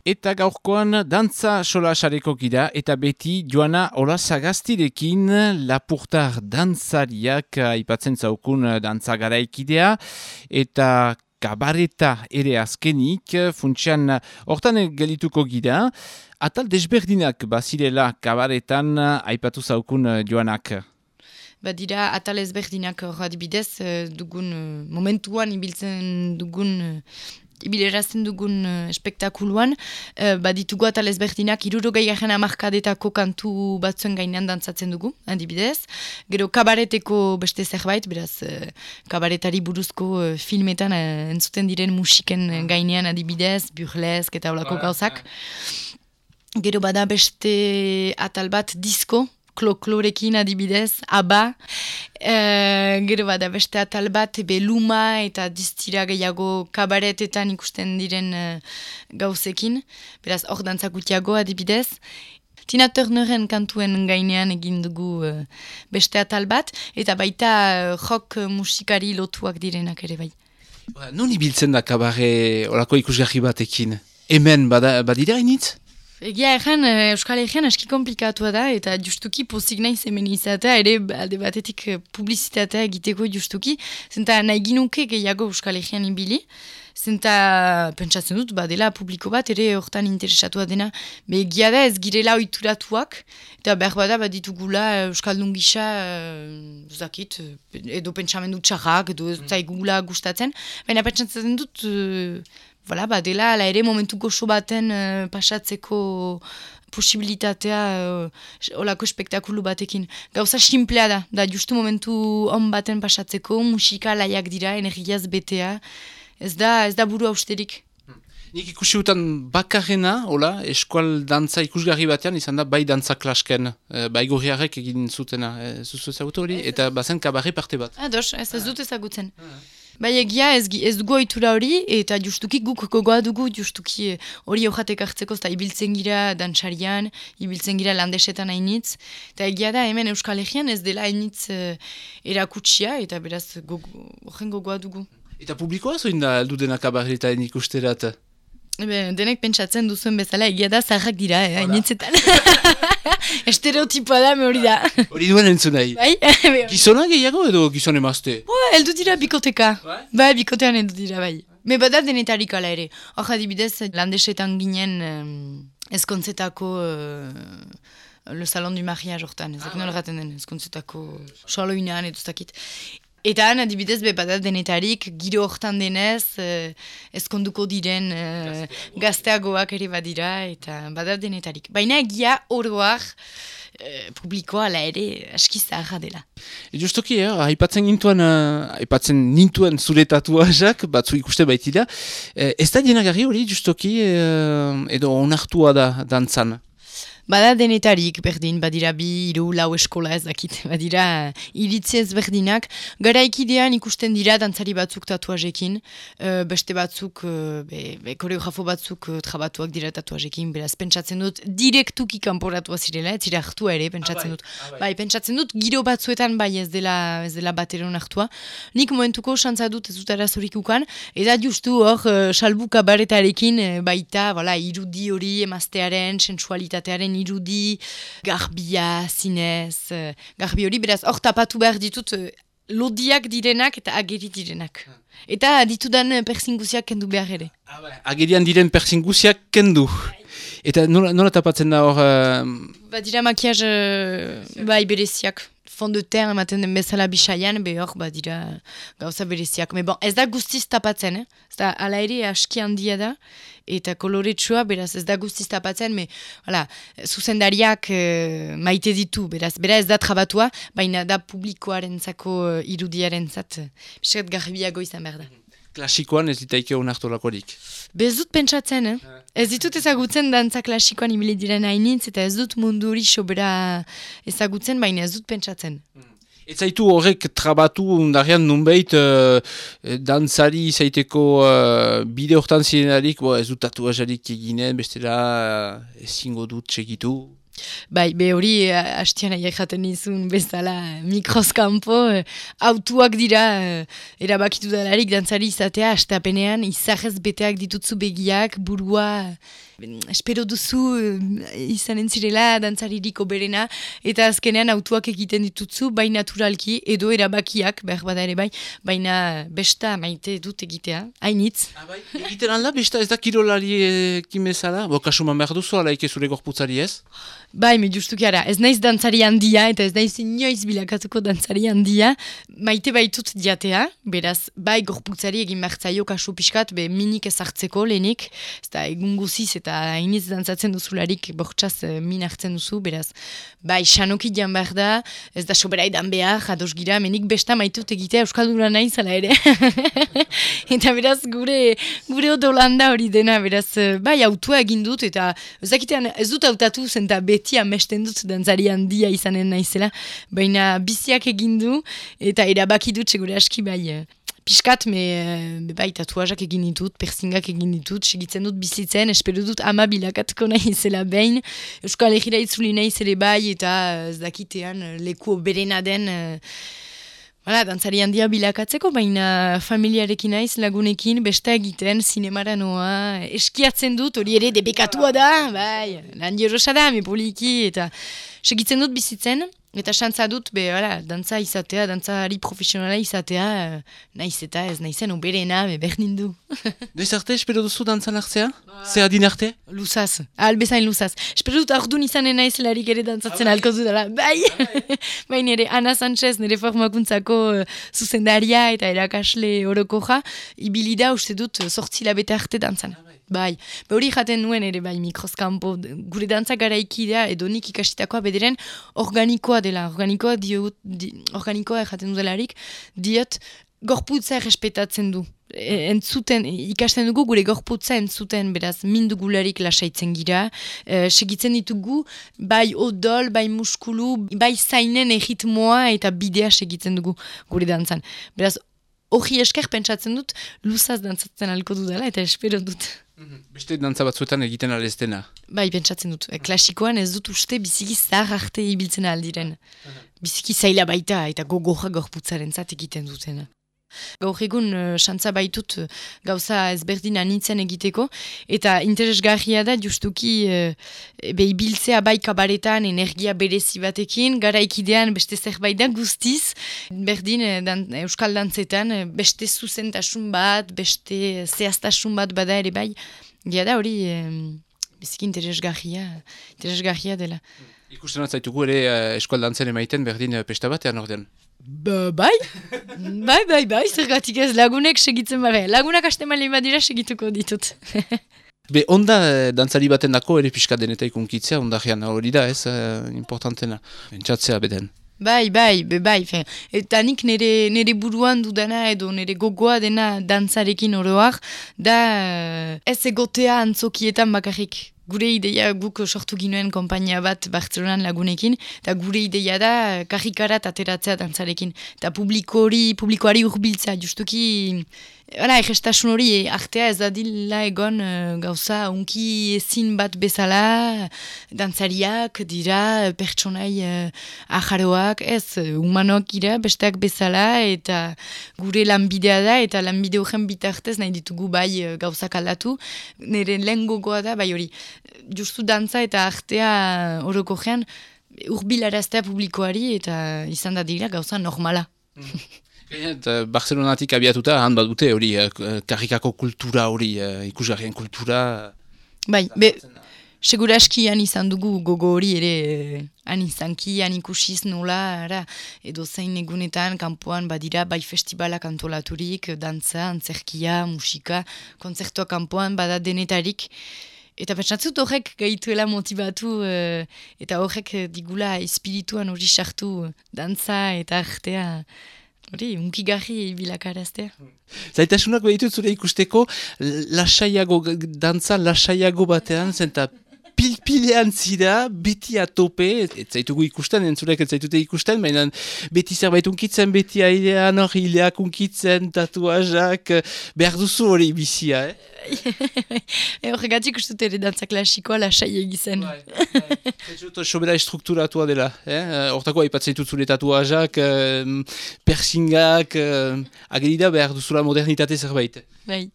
Eta gaurkoan dantza solasareko gira eta beti Joana Olasagaztirekin lapurtar dantzariak aipatzen zaukun dantza garaikidea eta kabareta ere azkenik funtsian hortan gelituko gira. Atal desberdinak bazirela kabaretan aipatu zaukun Joanak. Badira atal ezberdinak adibidez dugun momentuan ibiltzen dugun ibilerazten dugun espektakuluan, baditugu atal ezberdinak 60 hamarkadetako kantu batzuen gainean dantzatzen dugu, adibidez. Gero kabareteko beste zerbait, beraz kabaretari buruzko filmetan entzuten diren musiken gainean adibidez, burlesk eta olako gauzak. Gero bada beste atal bat disko, kloklorekin adibidez, aba. Gero bada beste atal bat, luma eta distira gehiago kabaretetan ikusten diren gauzekin. Beraz, hor dantzakutiago adibidez. Tina Turneren kantuen gainean egin dugu beste atal bat, eta baita rock musikari lotuak direnak ere bai. Non ibiltzen da kabare olako ikusgarri batekin? Hemen badira initz? Egia erran, Euskal Herrian aski komplikatua da, eta justuki pozik nahi hemen izatea, ere alde batetik publizitatea egiteko justuki, zenta nahi ginuke gehiago Euskal Herrian ibili, zenta pentsatzen dut, dela publiko bat, ere hortan interesatua dena, egia da ez girela oituratuak, eta behar bada baditugula Euskaldun gisa, zakit, edo pentsamendu txarrak, edo ez zaigula gustatzen, baina pentsatzen dut, dela, ala ere momentu goxo baten pasatzeko posibilitatea olako espektakulu batekin. Gauza simplea da justu momentu on baten pasatzeko, musika laiak dira, energiaz betea, ez da buru austerik. Nik ikusi utan bakarrena, eskual dantza ikusgarri batean, izan da bai dantza klasken, bai gorriarek egin zutena, zuzu ezagutu hori, eta bazen kabarre parte bat. Ados, ez dut ezagutzen. Bai egia ez dugu ohitura hori, eta justuki guk gogoa dugu, justuki hori hojatek hartzeko, eta ibiltzen gira dantsarian, ibiltzen gira landesetan hainitz, eta egia da hemen Euskal Herrian ez dela hainitz erakutsia, eta beraz horren gogoa dugu. Eta publikoa zoin da aldu dena kabarretan ikusterat? Denek pentsatzen duzuen bezala, egia da zaharrak dira, hainitzetan. Estereotipoa da, me hori da. Hori duen entzun nahi. Bai? Gizona gehiago edo gizone emazte? Eldu dira bikoteka. Bai, bikotean eldu dira, bai. Me bada denetarik ala ere. Hor adibidez, landesetan ginen ezkontzetako le salon du mariage hortan. Ezak nola gaten den, ezkontzetako xaloinan edo zakit. Eta han, adibidez, bada denetarik, giro hortan denez, ezkonduko diren gazteagoak ere badira, eta bada denetarik. Baina egia oroak publikoa ala ere aski zaharra dela. Justoki, aipatzen nintuen zure tatuajak, batzu ikuste baitira. Ez da dienagarri hori, justoki, edo onartua da dantzan? Bada denetarik berdin, badira 2, 3, 4 eskola ez dakit, badira iritzi ezberdinak. Garaikidean ikusten dira dantzari batzuk tatuajekin, beste batzuk, koreografo batzuk trabatuak dira tatuajekin, beraz pentsatzen dut direktuki kanporatua zirela, ez zira hartua ere, pentsatzen dut. Bai, pentsatzen dut giro batzuetan bai ez dela bateron hartua. Nik momentuko xantza dut ez dut arazorik ukan, eta justu hor salbu kabaretarekin baita irudi hori emaztearen, sensualitatearen irudi, garbia, zinez, garbi hori, beraz, hor tapatu behar ditut lodiak direnak eta ageri direnak. Eta ditudan persinguziak kendu behar ere. Agerian diren persinguziak kendu. Eta nola tapatzen da hor? Badira makiaz bereziak. Fond de terre ematen den bezala bisaian, hor badira gauza bereziak. Ez da guztiz tapatzen, ez da ala ere aski handia da, eta koloretsua, beraz ez da guztiz tapatzen, zuzendariak maite ditu, beraz ez da trabatua, baina da publikoarentzako irudiarentzat, biskat garbiago izan behar da. Klasikoan ez ditaike onartu lakorik? Ez dut pentsatzen, Ez ditut ezagutzen dantza klasikoan ibili diren hainitz, eta ez dut mundu hori sobera ezagutzen, baina ez dut pentsatzen. Ez zaitu horrek trabatu undarrean nunbait dantzari zaiteko bide hortan zirenarik, ez dut tatuajarik eginen, bestela ezingo dut segitu? Bai, be hori hastian aiek jaten nizun bezala mikroskampo, autuak dira erabakitu dalarik dantzari izatea, hastapenean izahez beteak ditutzu begiak, burua, espero duzu izan entzirela dantzaririk oberena, eta azkenean autuak egiten ditutzu, bai naturalki, edo erabakiak, behar bada ere bai, baina besta maite dut egitea, hainitz. Bai, egiten alda, besta ez da kirolari kimezala? Bo, kasuman behar duzu, alaik zure gorputzari ez? Bai, me justuki ara, ez naiz dantzari handia, eta ez naiz inoiz bilakatuko dantzari handia, maite baitut diatea, beraz, bai gorputzari egin bertzaio kasu pixkat, be minik ezartzeko lehenik, ez da egun guziz eta hainiz dantzatzen duzularik bortxaz min hartzen duzu, beraz, bai, xanoki dian behar da, ez da sobera edan behar, ados gira, menik besta maitut egitea euskaldura nahi zala ere. Eta beraz, gure odolanda hori dena, beraz, bai, autua egin dut, eta ez dut hautatu zenta beti amesten dut dantzari handia izanen naizela, baina biziak egin du, eta erabaki dut segure aski bai. Piskat, bai, tatuajak egin ditut, piercingak egin ditut, segitzen dut bizitzen, espero dut ama bilakatuko nahizela behin, Euskal Herriera itzuli nahiz ere bai, eta ez dakitean leku berena den, dantzari handia bilakatzeko, baina familiarekin naiz lagunekin, besta egiten, zinemara noa, eskiatzen dut, hori ere debekatua da, bai, handi erosa da, poliki, eta segitzen dut bizitzen, eta xantza dut, dantza izatea, dantzari profesionala izatea, naiz eta ez naizen oberena, berdin du. Noiz arte, espero duzu dantzan hartzea? Zer adin arte? Luzaz, albezain luzaz. Espero dut ordun izanen naiz larik ere dantzatzen alko dudala. Bai! Bai, nire Ana Sanchez, nire formakuntzako zuzendaria eta erakasle orokoja, ibilida uste dut 8 hilabete arte dantzan. Bai, hori jaten nuen ere bai mikroskampo, gure dantza garaikidea edo nik ikastitakoa bederen organikoa dela, organikoa jaten dudelarik, diot gorputza errespetatzen du. Entzuten, ikasten dugu gure gorputza entzuten, beraz, mindugularik lasaitzen gira, segitzen ditugu, bai odol, bai muskulu, bai zainen erritmoa eta bidea segitzen dugu gure dantzan. Beraz, hori esker pentsatzen dut, luzaz dantzatzen alko dudala eta espero dut. Beste dantza batzuetan egiten alestena? Bai, pentsatzen dut. Klasikoan ez dut uste biziki zahar arte ibiltzen aldiren. Biziki zaila baita eta gogorra gorputzaren zat egiten dutena. Gaur egun xantza baitut gauza ezberdin anitzen egiteko, eta interesgarria da justuki ibiltzea bai kabaretan energia berezi batekin, garaikidean beste zerbait da guztiz, berdin euskal dantzetan beste zuzentasun bat, beste zehaztasun bat bada ere bai, da hori biziki interesgarria dela. Ikusten atzaitugu ere eskual dantzen emaiten berdin pesta batean ordean. Bai, zergatik ez lagunek segitzen bare. Lagunak haste malin badira segituko ditut. Be, onda dantzari baten dako ere pixka deneta ikunkitzea, onda hori da ez, importantena, entzatzea beden. Bai, eta nik nire buruan dudana edo nire gogoa dena dantzarekin oroak, da ez egotea antzokietan bakarrik. Gure ideia guk sortu ginoen konpainia bat Bartzelonan lagunekin, eta gure ideia da karrikarat ateratzea dantzarekin. Eta publikoari urbiltzea, justuki, egestasun hori artea ez dadila egon gauza unki ezin bat bezala, dantzariak dira pertsonai ajaroak, ez humanok gira besteak bezala, eta gure lanbidea da, eta lanbide horren bitartez nahi ditugu bai gauzak aldatu. Nire lehen gogoa da, bai hori, justu dantza eta artea orokorrean urbilaraztea publikoari, eta izan da dira gauza normala. Barcelonatik abiatuta, han bat dute hori karrikako kultura hori, ikusgarrien kultura. Bai, segura aski han izan dugu gogo hori ere han izanki, han ikusiz nola, edo zein egunetan, kanpoan badira, bai festivalak antolaturik, dantza, antzerkia, musika, kontzertua kanpoan bada denetarik. Eta pentsatzut horrek gaituela motibatu eta horrek digula espirituan hori sartu dantza eta artea. Hori, unkigarri bilakaraztea. Zaitasunak behitut zure ikusteko, dantza lasaiago batean, zenta pilpilean zira, beti atope, ez zaitugu ikusten, entzulek ez zaitute ikusten, baina beti zerbait unkitzen, beti ailean hor hileak unkitzen, tatuazak, behar duzu hori bizia, Horregatik ustut ere dantza klasikoa lasai egizen. Sobera estrukturatua dela. Hortako aipatzen ditut zure tatuazak, persingak, agerida behar duzula modernitate zerbait. Bai.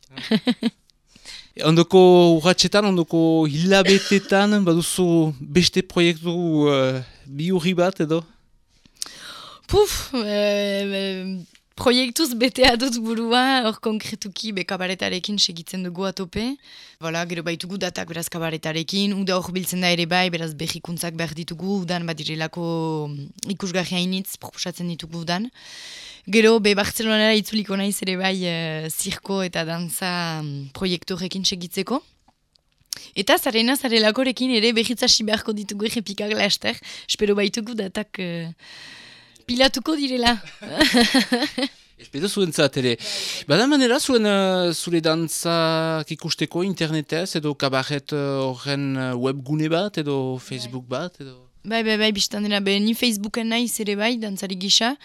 Ondoko urratxetan, ondoko hilabetetan, baduzu beste proiektu biurri bat edo? Proiektuz betea dut burua, hor konkretuki kabaretarekin segitzen dugu atope. Gero baitugu datak beraz kabaretarekin, uda hor biltzen da ere bai, beraz behikuntzak behar ditugu, udan badirelako ikusgarri hainitz proposatzen ditugu udan. Gero Bartzelonara itzuliko naiz ere bai zirko eta dantza proiektu horrekin segitzeko. Eta zarelakorekin ere behitzasi beharko ditugu errepikak laster, espero baitugu datak pilatuko direla. Espero zuentzat ere. Bada manera zure dantzak ikusteko internetez edo kabaret horren webgune bat edo Facebook bat edo? Bai, biztan dira, ni Facebooken naiz ere bai, dantzari gisa.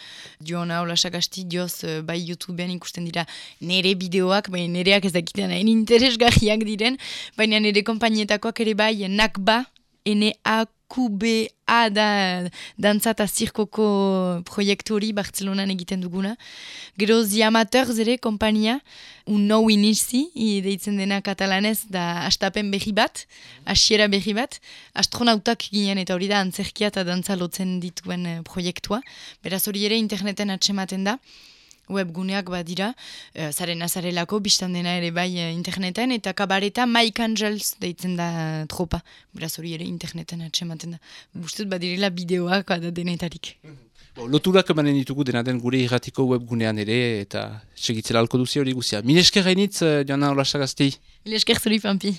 Joana Olasakasti dioz bai YouTubean ikusten dira nere bideoak, bai nereak ez dakitean hain interesgarriak diren, baina nere konpainietakoak ere bai NAKBA, NAKBA da dantza eta zirkoko proiektu hori Bartzelonan egiten duguna. Gero Ziamateurs ere kompainia, un nou inizi, deitzen dena katalanez, da astapen berri bat, hasiera berri bat, astronautak ginen eta hori da antzerkia eta dantza lotzen dituen proiektua. Beraz hori ere interneten atsematen da. Webguneak badira, zarelako, biztan dena ere bai interneten, eta kabareta Mike Angels deitzen da tropa. Beraz hori ere interneten atsematen da. Bustut badirela bideoak da denetarik. Loturak emanen ditugu dena den gure irratiko webgunean ere, eta segitzela alko duzi hori guzia. Mil esker hainitz, Joana Olasakasti. Mil esker zuri, Pampi.